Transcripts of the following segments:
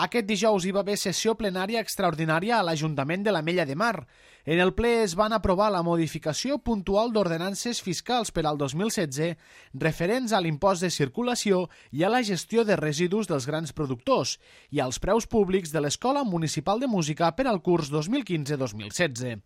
Aquest dijous hi va haver sessió plenària extraordinària a l'Ajuntament de l'Ametlla de Mar. En el ple es van aprovar la modificació puntual d'ordenances fiscals per al 2016 referents a l'impost de circulació i a la gestió de residus dels grans productors i als preus públics de l'Escola Municipal de Música per al curs 2015-2016.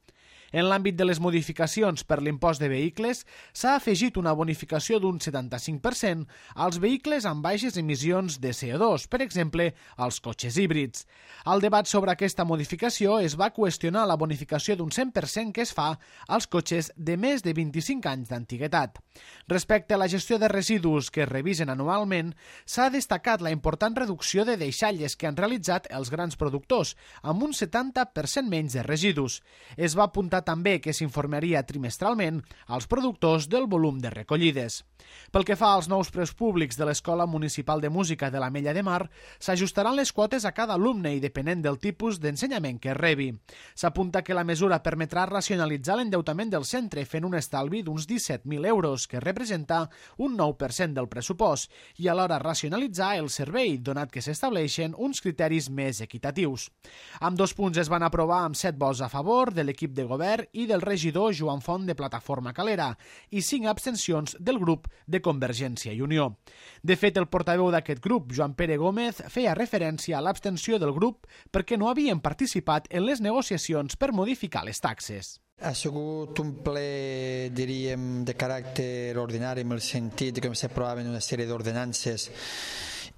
En l'àmbit de les modificacions per l'impost de vehicles, s'ha afegit una bonificació d'un 75% als vehicles amb baixes emissions de CO2, per exemple, als cotxes híbrids. Al debat sobre aquesta modificació es va qüestionar la bonificació d'un 100% que es fa als cotxes de més de 25 anys d'antiguitat. Respecte a la gestió de residus que es revisen anualment, s'ha destacat la important reducció de deixalles que han realitzat els grans productors, amb un 70% menys de residus. Es va apuntar també que s'informaria trimestralment als productors del volum de recollides. Pel que fa als nous preus públics de l'Escola Municipal de Música de l'Ametlla de Mar, s'ajustaran les quotes a cada alumne i depenent del tipus d'ensenyament que rebi. S'apunta que la mesura permetrà racionalitzar l'endeutament del centre fent un estalvi d'uns 17.000 euros, que representa un 9% del pressupost, i alhora racionalitzar el servei, donat que s'estableixen uns criteris més equitatius. Ambdós punts es van aprovar amb 7 vots a favor de l'equip de govern i del regidor Joan Font de Plataforma Calera i 5 abstencions del grup de Convergència i Unió. De fet, el portaveu d'aquest grup, Joan Pere Gómez, feia referència a l'abstenció del grup perquè no havien participat en les negociacions per modificar les taxes. Ha sigut un ple, diríem, de caràcter ordinari en el sentit que s'aprovaven una sèrie d'ordenances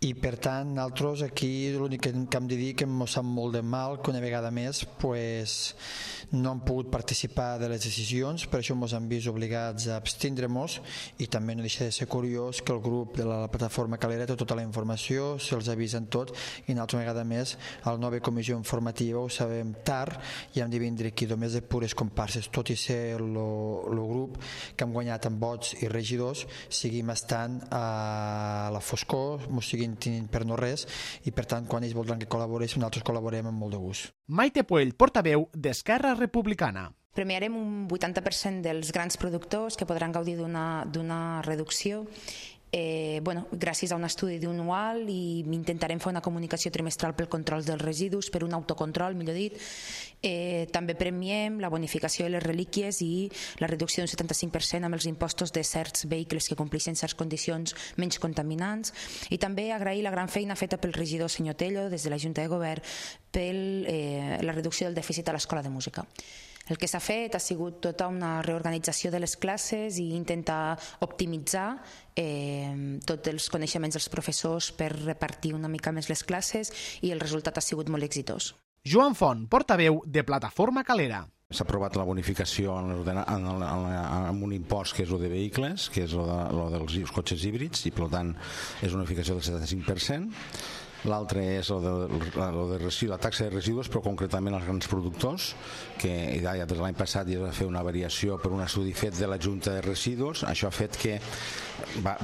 i per tant nosaltres aquí l'únic que hem de dir que ens sap molt de mal que una vegada més no hem pogut participar de les decisions, per això ens han vist obligats a abstindre-nos i també no deixa de ser curiós que el grup de la plataforma Calera té tota la informació, se'ls avisen tot i nosaltres una vegada més a la nova comissió informativa ho sabem tard i hem de vindre aquí només de pures comparses, tot i ser el grup que hem guanyat en vots i regidors seguim estant a la foscor, ens seguim tenint per no res i per tant quan ells voldran que col·laboréssim nosaltres col·laborem amb molt de gust. Maite Puell, portaveu d'Esquerra Republicana. Premiarem un 80% dels grans productors que podran gaudir d'una reducció gràcies a un estudi anual i intentarem fer una comunicació trimestral pel control dels residus, per un autocontrol, millor dit. També premiem la bonificació de les relíquies i la reducció d'un 75% amb els impostos de certs vehicles que compleixen certes condicions menys contaminants i també agrair la gran feina feta pel regidor senyor Tello des de la Junta de Govern per la reducció del dèficit a l'Escola de Música. El que s'ha fet ha sigut tota una reorganització de les classes i intentar optimitzar tots els coneixements dels professors per repartir una mica més les classes i el resultat ha sigut molt exitós. Joan Font, portaveu de Plataforma Calera. S'ha aprovat la bonificació amb un impost que és el de vehicles, que és el dels cotxes híbrids i per tant és una bonificació del 75%. L'altre és la taxa de residus, però concretament als grans productors, que ja des de l'any passat ja va fer una variació per un estudi fet de la Junta de Residus. Això ha fet que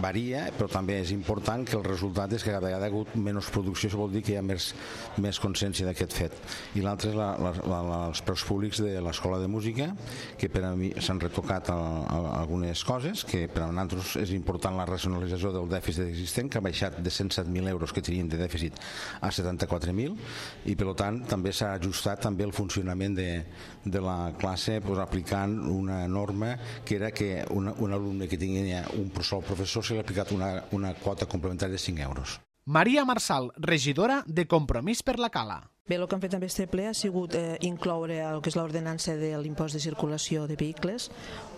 varia, però també és important que el resultat és que cada vegada hi ha hagut menys producció, això vol dir que hi ha més consciència d'aquest fet. I l'altre és els preus públics de l'Escola de Música, que per a mi s'han retocat algunes coses, que per a nosaltres és important la racionalització del dèficit existent, que ha baixat de 107.000 euros que tenien de dèficit a 74.000 i per tant també s'ha ajustat també el funcionament de la classe aplicant una norma que era que un alumne que tingui un sol professor se li ha aplicat una quota complementària de 5 euros. Maria Marsal, regidora de Compromís per la Cala. Bé, el que han fet amb aquest ple ha sigut incloure el que és l'ordenança de l'impost de circulació de vehicles,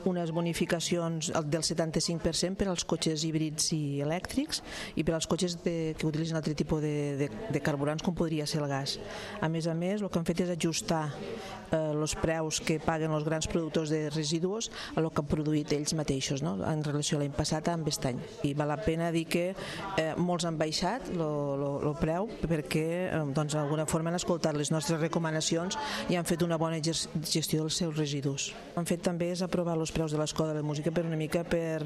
unes bonificacions del 75% per als cotxes híbrids i elèctrics i per als cotxes que utilitzen altre tipus de carburants com podria ser el gas. A més, el que han fet és ajustar els preus que paguen els grans productors de residus a el que han produït ells mateixos, no? En relació a l'any passat amb aquest any. I val la pena dir que molts han baixat el preu perquè d'alguna forma han escoltat les nostres recomanacions i han fet una bona gestió dels seus residus. Han fet també és aprovar els preus de l'Escola de Música per una mica per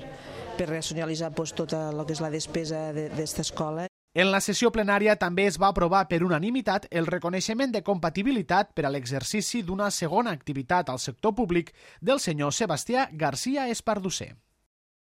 racionalitzar tota el que és la despesa d'esta escola. En la sessió plenària també es va aprovar per unanimitat el reconeixement de compatibilitat per a l'exercici d'una segona activitat al sector públic del senyor Sebastià García Espardusser.